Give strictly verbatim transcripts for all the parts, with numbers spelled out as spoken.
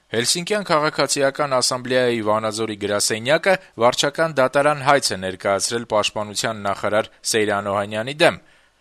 Հելսինկյան քաղաքացիական ասամբլեայի Վանաձորի գրասենյակը վարչական դատարան հայց է ներկայացրել պաշտպանության նախարար Սեյրան Օհանյանի դեմ։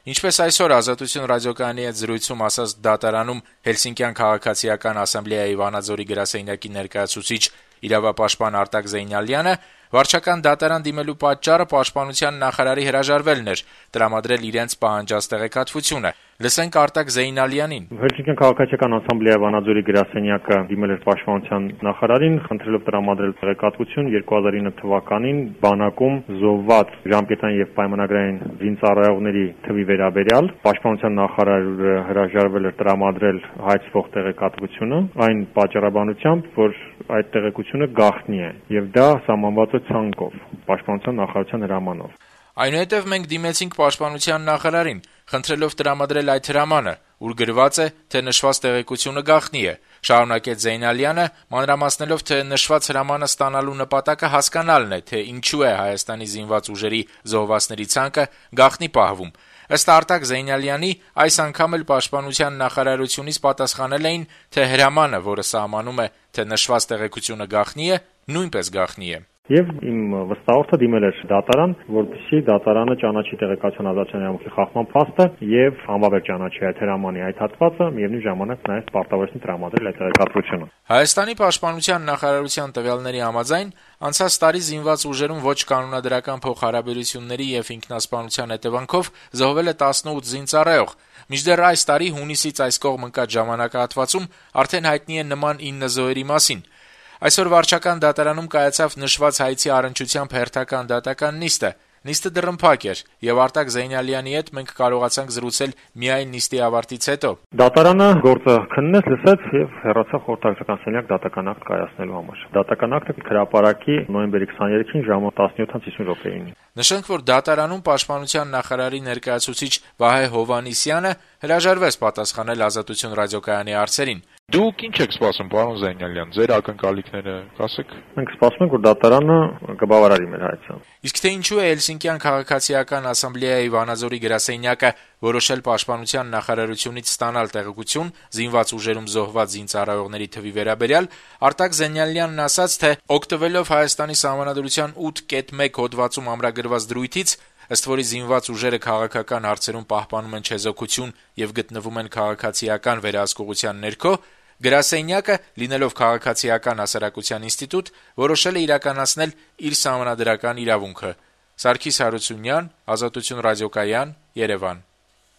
Ինչպես այսօր «Ազատություն» ռադիոկայանի հետ զրույցում ասաց դատարանում Հելսինկյան քաղաքացիական ասամբլեայի Վանաձորի գրասենյակի ներկայացուցիչ իրավապաշտպան Արտակ Զեյնալյանը, վարչական դատարան դիմելու պատճառը պաշտպանության նախարարի հրաժարվելն էր, տրամադրել իրենց պահանջած տեղեկատվությունը։ Լսենք Արտակ Զեյնալյանին. Հելսինկյան քաղաքացիական ասամբլեայի Վանաձորի գրասենյակը դիմել էր պաշտպանության նախարարին, խնդրելով տրամադրել տեղեկատվություն երկու հազար ինը թվականին բանակում զոհված ժամկետային եւ պայմանագրային զինծառայողների թվի վերաբերյալ։ Պաշտպանության նախարարը հրաժարվել էր տրամադրել հայցվող տեղեկատվությունը այն պատճառաբանությամբ, որ այդ տեղեկությունը գաղտնի է եւ դա սահմանված է ցանկով, պաշտպանության նախարարության հրամանով։ Այնուհետև մենք դիմեցինք պաշտպանության նախարարին, խնդրելով տրամադրել այդ հրամանը, ուր գրված է, թե նշված տեղեկությունը գաղտնի է, շարունակեց Զեյնալյանը, մանրամասնելով, թե նշված հրամանը ստանալու նպատակը հասկանալն է, թե ինչու է Հայաստանի զինված ուժերի զոհվածների ցանկը գաղտնի պահվում։ Ըստ Արտակ Զեյնալյանի, այս անգամ էլ պաշտպանության նախարարությունից պատասխանել էին, թե հրամանը, որը սահմանում է, թե նշված տեղեկությունը գաղտնի է, նույնպես գաղտնի է։ Եվ իմ վստահորդը դիմել էր դատարան, որպեսզի դատարանը ճանաչի տեղեկատվության ազատության իրավունքի խախտման փաստը եւ անվավեր ճանաչի այդ հրամանի այդ հատվածը, միևնույն ժամանակ նաեւ պարտավորեցին տրամադրել այդ տեղեկատվությունը։ Հայաստանի պաշտպանության նախարարության տվյալների համաձայն, անցած տարի զինված ուժերում ոչ կանոնադրական փոխհարաբերությունների եւ ինքնասպանության հետևանքով զոհվել է տասնութ զինծառայող։ Մինչդեռ այս տարի հունիսից այս կողմ ընկած ժամանակահատվածում արդեն հայտնի է նման ինը զոհերի մասին։ Այսօր վարչական դատարանում կայացավ նշված հայցի առնչությամբ հերթական դատական նիստը։ Նիստը դռնփակ էր, եւ Արտակ Զեյնալյանի հետ մենք կարողացանք զրուցել միայն նիստի ավարտից հետո։ Դատարանը գործը քննեց, լսեց եւ հեռացավ խորհրդական սենյակ դատական ակտ կայացնելու համար։ Դատական ակտը հրապարակի նոյեմբերի քսաներեքին ժամը տասնյոթ հիսուն րոպեին։ Նշենք, որ դատարանում պաշտպանության նախարարի ներկայացուցիչ Վահե Հովհաննիսյանը հրաժարվեց պատասխանել «Ազատություն» ռադիոկայանի հարցերին։ Դուք ինչ եք սպասում, պարոն Զեյնալյան, ձեր ակնկալիքները կասեք։ Մենք սպասում ենք, որ դատարանը կբավարարի մեր հայցը։ Իսկ թե ինչու է Հելսինկյան քաղաքացիական ասամբլեայի Վանաձորի գրասենյակը որոշել պաշտպանության նախարարությունից ստանալ տեղեկություն զինված ուժերում զոհված զինծառայողների թվի վերաբերյալ, Արտակ Զեյնալյանն ասաց, թե օգտվելով Հայաստանի Սահմանադրության ութ կետ մեկ հոդվածում ամրագրված դրույթից, ըստ որի զինված ուժերը քաղաքական հարցերում պահպանում են չեզոքություն եւ գտնվում են քաղաքացիական վերահսկողության ներքո, գրասենյակը, լինելով քաղաքացիական հասարակության ինստիտուտ, որոշել է իրականացնել իր սահմանադրական իրավունքը։ Սարգիս Հարությունյան, Ազատություն ռադիոկայան, Երևան։